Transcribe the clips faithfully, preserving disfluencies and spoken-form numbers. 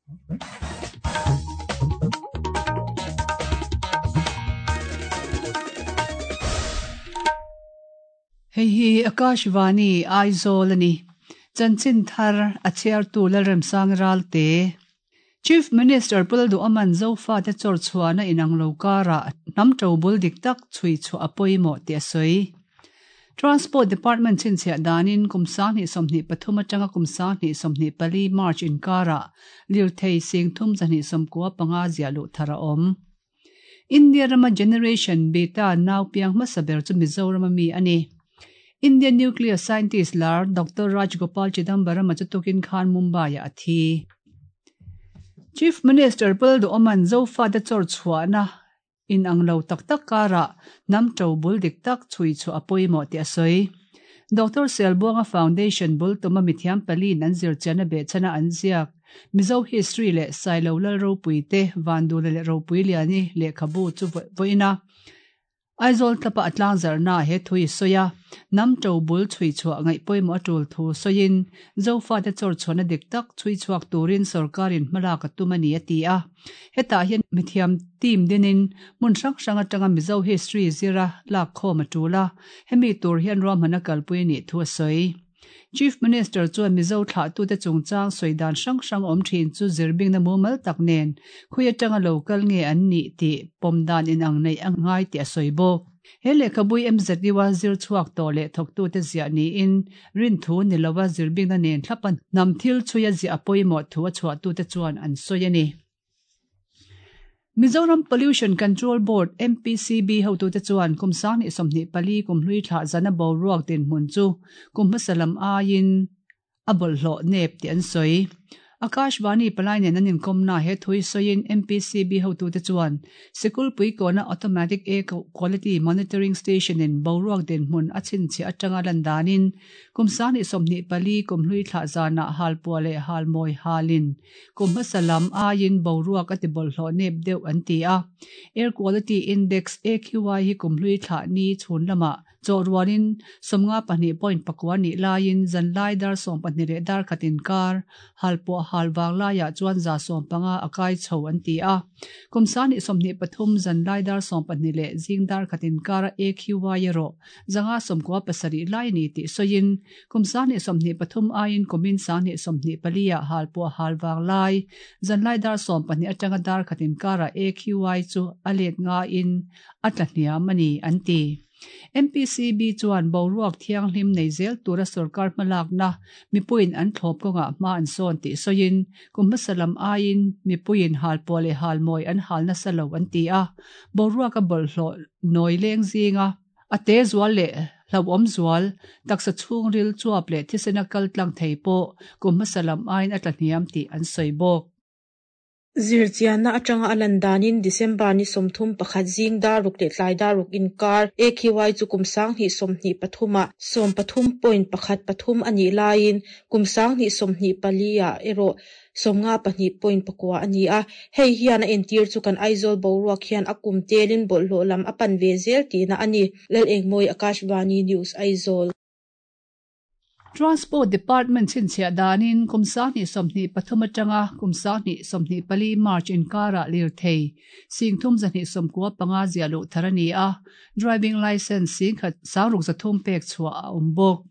Hei hi Akashvani Aizawl ani. Chanchin thar a chhiartu Lalremsang Ralte. Chief Minister Pulduaman Zofa te chawr chhuahna inang lo karah hnam to bul dik tak chhui chhuah a pawimawh tih a sawi. Transport Department chhinchhiah danin kum sanghnih sawmhnih pathum atanga kum sanghnih sawmhnih pali March inkarah lirthei sing thum zahnih sawmkua panga ziah luh thar a awm. India rama Generation Beta nau piang hmasa ber chu Mizoram ami a ni. Indian nuclear scientist lar Doctor Rajgopal Chidambaram chu tukin khan Mumbai-ah a thi. Chief Minister Pulduaman Zofa te chawr chhuahna inang lo tak tak karah hnam to bul dik tak chhui chhuah a pawimawh tih a sawi. Doctor Selbuanga Foundation bul tuma mithiam palin an zir chian a behchhana an ziak. Mizo history leh Sailo Lal Ropui te Vandula leh Ropui Liani lehkhabu chu vawiin a. Aizawl tlapa a tlang zarhna he thui sawi a, hnam to bul chhui chhuah ngaih pawimawh a tul thu sawiin Zofa te chawr chhuahna dik tak chhui chhuak turin sorkarin hmalak a tum a ni a ti a. Hetah hian mithiam team dinin hmun hrang hrang atanga Mizo history zira lak khawm a tul a, hemi tur hian ruahman a kalpui a nih thu a sawi. Chief Minister chuan Mizo thlahtute chungchang sawi dan hrang hrang awm thin chu zirbingna mumal tak nen khui atanga lo kal nge an nih tih pawm dan inang neih a ngai tih a sawi bawk. He lehkhabui M Z U a zir chhuak tawh leh thawktute ziah niin rin thu ni lova zirbingna nen thlapa hnam thil chhui a ziah a pawimawh thu a chhuahtute chuan an sawi a ni. Mizoram Pollution Control Board M P C B hotute chuan kum sanghnih sawmhnih pali kum hlui thlah zana boruak dinhmun chu kum hmasa lam aiin a bawlhhlawh nep tih an sawi. Akashvani palai nen an inkawmna he thui sawiin M P C B hotute chuan Sikulpui kawna Automatic Air Quality Monitoring Station in boruak dinhmun a chhinchhiah atanga lan danin kum sanghnih sawmhnih pali kum hlui thlah zanah halpuah leh halmawi halin kum hmasa lam aiin boruak a ti bawlhhlawh nep deuh an ti a. Air Quality Index A Q I hi kum hlui thlah ni chhun lamah chawhrualin sawmnga pahnih point pakua nih laiin zanlai dar sawm pahnih leh dar khatin kar halpuah halwang laiah chuan za sawm panga a kai chho an ti a. Kum sanghnih sawmhnih pathum zanlai dar sawm pahnih leh zing dar khatin kar A Q I erawh zanga sawmkua pasarih lai ni tih sawiin kum sanghnih sawmhnih pathum aiin kumin sanghnih sawmhnih paliah halpuah halwang lai zanlai dar sawm pahnih atanga dar khatin karah A Q I chu a let ngain a tla hniam a ni an ti. M P C B chuan boruak thianghlim nei zel tura sarkar hmalakna mipuiin an thlawp kawngah hma an sawn tih sawiin kum hmasa lam aiin mipuiin halpuah leh halmawi an hal nasa lo an ti a. Boruak a bawlhhlawh nawi leng zinga a te zual leh hlauhawm zual taksa chhungril chuap leh thisena kal tlang thei pawh kum hmasa lam aiin a tla hniam tih an sawi bawk. Zirchianna atanga a lan danin December ni sawmthum pakhat zing daruk leh tlai daruk inkar A Q I chu kum sanghnih sawmhnih pathumah sawm pathum point pakhat pathum a nih laiin kum sanghnih sawmhnih paliah erawh sawmnga pahnih point pakua a ni a. Hei hian a entir chu kan Aizawl boruak hian a kum telin bawlhhlawh lam a pan ve zel tihna a ni. Lal Engmawi Akashvani News Aizawl. Transport Department chhinchhiah danin kum sanghnih sawmhnih pathum atanga kum sanghnih sawmhnih pali March inkarah lirthei sing thum zahnih sawmkua panga ziah luh thar a ni a. Driving license sing khat sangruk zathum pek chhuah a awm bawk.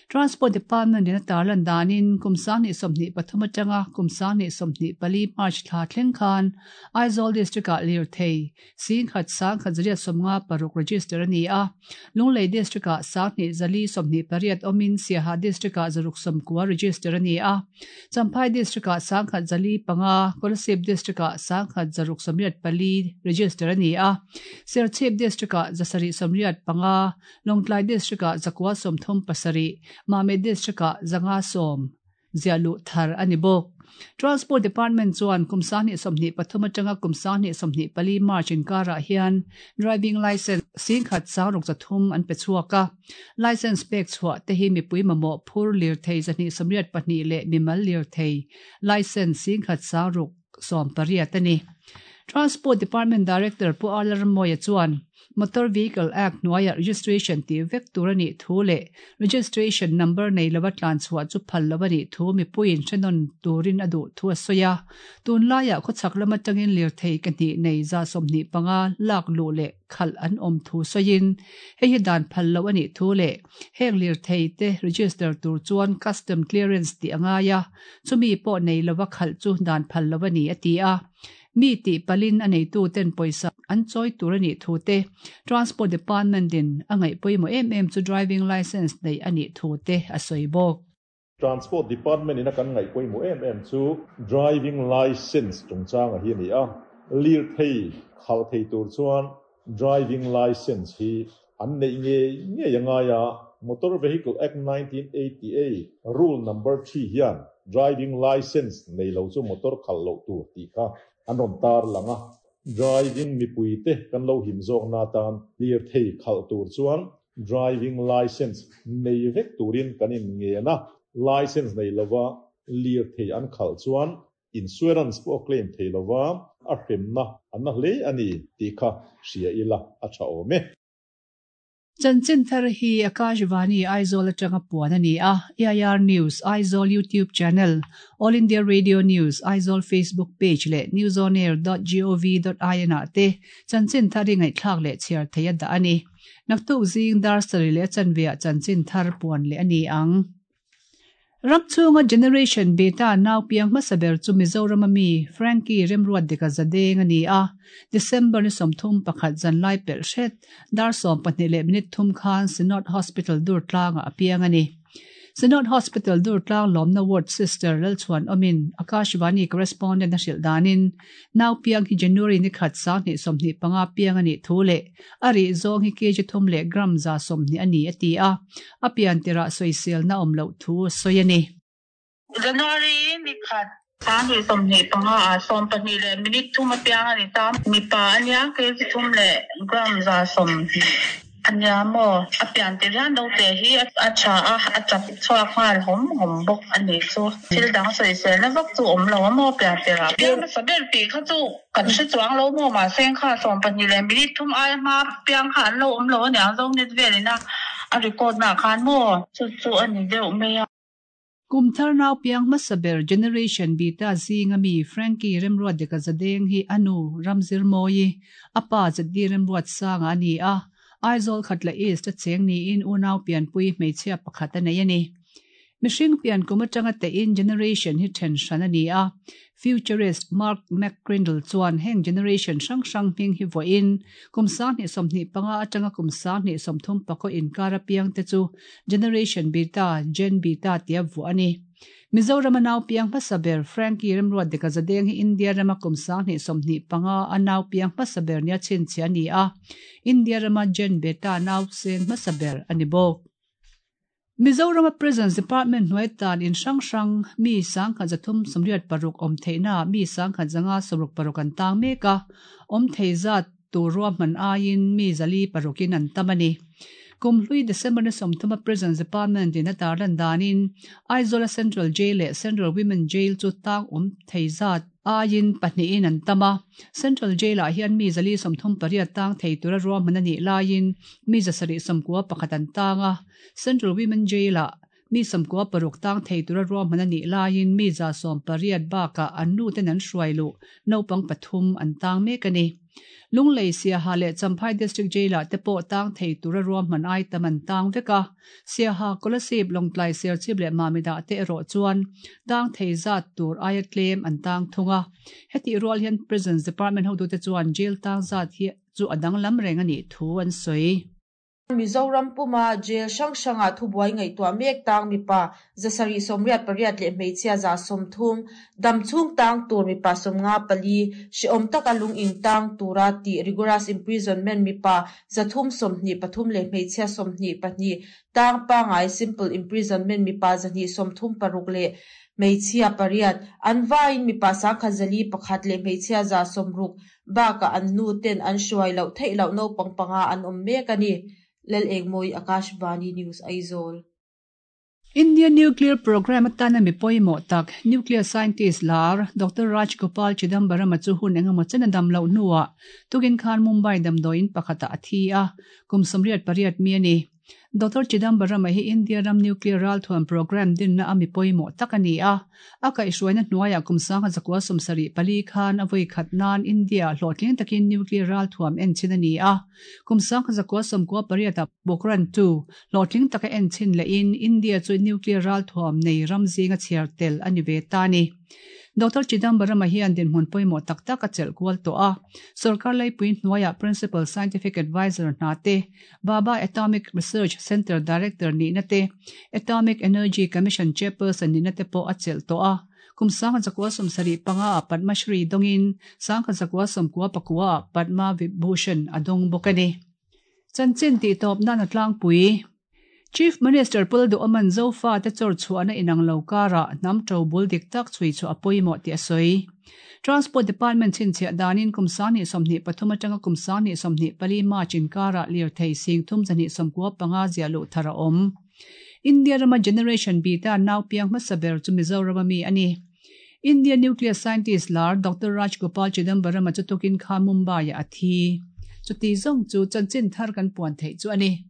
Transport Department in a tarlan danin kum sanghnih sawmhnih pathum atanga kum sanghnih sawmhnih pali March thla thleng khan Aizawl District-ah lirthei sing khat sang khat zariat sawmnga paruk register a ni a. Lunglei District-ah sanghnih zali sawmhnih pariat awmin Siaha District-ah zaruk sawmkua register a ni a. Champhai District-ah sangkhat zali panga, Kolasib District-ah sangkhat zaruk sawmriat pali register a ni a. Serchhip District-ah zasarih sawmriat panga, Lawngtlai District-ah zakua sawmthum pasarih, Mame District-ah zanga sawm ziah luh thar a ni bawk. Transport Department chuan kum sanghnih sawmhnih pathum atanga kum sanghnih sawmhnih pali March inkarah hian driving license sing khat sangruk zathum an pe chhuak a. License pek chhuah te hi mipui mamawh phur lirthei zahnih sawmriat pahnih leh mimal lirthei license sing khat sangruk sawm pariat a ni. Transport Department Director Pu Alarmoya chuan Motor Vehicle Act hnuaia registration tih vek tur a nih thu leh registration number nei lova tlan chhuah chu phal lo a nih thu mipuiin hrenawn turin a duh thu a sawi a. Tunlaiah khawchhak lam atangin lirthei ke hnih nei za sawmhnih panga lak luh leh khalh an awm thu sawiin hei hi dan phal lo a nih thu leh heng lirthei te register tur chuan custom clearance tih a ngai a, chumi pawh nei lova khalh chu dan phal lo a ni a ti a. Mi tih palin a neitu ten pawisa an chawi tur a nih thu te, Transport Department in a ngaih pawimawh em em chu driving licence neih a nih thu te a sawi bawk. Transport Department in a kan ngaih pawimawh em em chu driving licence chungchang a hi a ni a, lirthei khalh thei tur chuan driving licence hi an neih ngei ngei a ngai a. Motor Vehicle Act nineteen eighty-eight rule number three hian driving licence nei lo chu motor khalh loh tur tih kha an rawn tar lang a. Driving mipui te kan lo him zawk na tan lirthei khalh tur chuan driving licence nei vek turin kan in ngen a. Licence nei lova lirthei an khalh chuan insurance pawh claim thei lova a hremna an na hle a ni tih kha hria ila a tha awm e. Chanchin thar hi Akashvani Aizawl atanga puan a ni a. A I R News Aizawl YouTube channel, All India Radio News Aizawl Facebook page leh newsonair dot gov dot in ah te chanchin thar hi ngaihthlak leh chhiar thei a dah a ni. Naktuk zing dar sarih leh chanveah chanchin thar puan leh a ni ang. Ramchhunga Generation Beta nau piang hmasa ber chu Mizoram ami Frankie Remruat dika zadeng a ni a. December ni sawmthum pakhat zanlai pelh hret dar sawm pahnih leh minute thum khan Synod Hospital dur tlanga a piang a ni. Synod Hospital dur tlang lawmna ward sister Lalchuan Omin Akashvani correspondent a hrilh danin nau piang hi January ni khat sang hnih sawmhnih panga piang a nih thu leh a rih zawng hi kg thum leh gram za sawmhnih a ni a ti a. A pian tirah sawisel na awm loh thu a sawi a ni. January ni khat sang hnih sawmhnih panga a sawm pahnih leh minute thum a piang a ni ta. Mipa ania kg thum leh gram za sawmhnih ania maw a pian tir hian lo te hi a tha a a chap chhuak nghal hawm hawm bawk a ni chu. Thil dang sawisel na vak chu awm lo a maw pian tirah piang hmasa ber tih kha chu kan hre chuang lo maw mahse kha sawm pahnih leh minute thum aia hma piang kha an lo awm lo aniang zo net velin a a record na khan maw chu chu a ni deuh mai a. Kumthar nau piang hmasa ber Generation Beta zinga mi Frankie Remruat dika zadeng hi anu Ramzir Moyi apa Zaddi Remruat sanga ani a. Aizawl khatla East a cheng niin unau pianpui hmeichhia pakhat a nei a ni. Mihring pian kum atanga te in generation hi then hran a ni a. Futurist Mark McCrindle chuan heng generation hrang hrang hming hi vawiin kum sang hnih sawmhnih panga atanga kum sang hnih sawmthum pakhaw inkar a piang te chu Generation Beta, Gen Beta tia vuah a ni. Mizoram a nau piang hmasa ber Frankie Remruat dika zadeng hi India rama kum sang hnih sawmhnih panga a nau piang hmasa ber nia chhinchhiah a ni a. India rama Gen Beta nau sen hmasa ber a ni bawk. Mizoram Prisons Department hnuai tan in hrang hrang mi sang khat zathum sawmriat paruk awm theihna mi sang khat zanga sawmruk paruk an tang mek a. Awm thei zat tur ruahman aiin mi zali parukin an tam a ni. Kumhlui December ni sawmthuma Prisons Department in a tarlan danin Aizawl Central Jail leh Central Women Jail chu tang awm thei zat aiin pahnihin an tam a. Central Jail ah hian mi zali sawmthum pariat tang thei tura ruahman a nih laiin mi zasarih sawmkua pakhat an tang a. Central Women Jail ah mi sawmkua paruk tang thei tura ruahman a nih laiin mi za sawm pariat bakah an nu ten an hruai luh naupang pathum an tang mek a ni. Lunglei Siaha leh Champhai District Jail ah te pawh tang thei tura ruahman ai tam an tang vek a. Siaha Kolasib Lawngtlai Serchhip leh Mamida te erawh chuan tang thei zat tur aia tlem an tang thung a. Heti rual hian Prisons Department hotute chuan jail tang zat hi chu a danglam reng a nih thu an sawi. Mizoram puma jail hrang hranga thubuai ngaihtuah mek tang mipa zasarih sawmriat pariat leh hmeichhia za sawmthum damchhung tang tur mipa sawmnga pali hreawm taka lungin tang tura tih rigorous imprisonment mipa zathum sawmhnih pathum leh hmeichhia sawmhnih pahnih tang pangai simple imprisonment mipa zahnih sawmthum paruk leh hmeichhia pariat an vaiin mipa sangkhat zali pakhat leh hmeichhia za sawmruk bakah an nu ten an hruai loh theih loh naupang panga an awm mek a ni. Lal Engmoi, Akashvani News, Aizawl. Indian Nuclear Program atana mi pawimawh tak nuclear scientist lar Doctor Raj Gopal Chidambaram chu hun engemaw chen a dam loh hnuah tukin khan Mumbai damdawiin pakhatah a thi a, kum sawmriat pariat mi a ni. Doctor Chidambaram hi India ram nuclear ralthuam program dinna a mi pawimawh tak a ni a, a kaihhruaina hnuaiah kum sangha zakua sawmsarih pali khan a vawi khat nan India hlawhtling takin nuclear ralthuam en chin a ni a, kum sangha zakua sawmkua pariatah Pokhran two hlawhtling taka en chin lehin India chu nuclear ralthuam nei ram zinga chhiar tel a ni ve ta a ni. Doctor Chidambaram hian dinhmun pawimawh tak tak a chelh kual tawh a, Sarkar Laipui hnuaiah Principal Scientific Advisor hna te, Bhabha Atomic Research Centre Director nihna te, Atomic Energy Commission Chairperson nihna te pawh a chelh tawh a. Kum sangha zakua sawmsarih panga ah Padma Shri dawngin sangha zakua sawmkua pakua ah Padma Vibhushan a dawng bawk a ni. Chanchin tih tawp nan a tlangpui. Chief Minister Pu Lalduhoma'n Zofa te chawr chhuahna inang lo karah hnam to bul dik tak chhui chu a pawimawh tih a sawi. Transport Department chhinchhiah danin kum sanghnih sawmhnih pathum atanga kum sanghnih sawmhnih pali March inkarah lirthei sing thum zahnih sawmkua panga ziah luh thar a awm. India rama Generation Beta nau piang hmasa ber chu Mizoram ami a ni. India nuclear scientist lar Doctor Raj Gopal Chidambaram chu tukin kha Mumbai ah a thi. Chuti zawng chu chanchin thar kan puan theih chu a ni.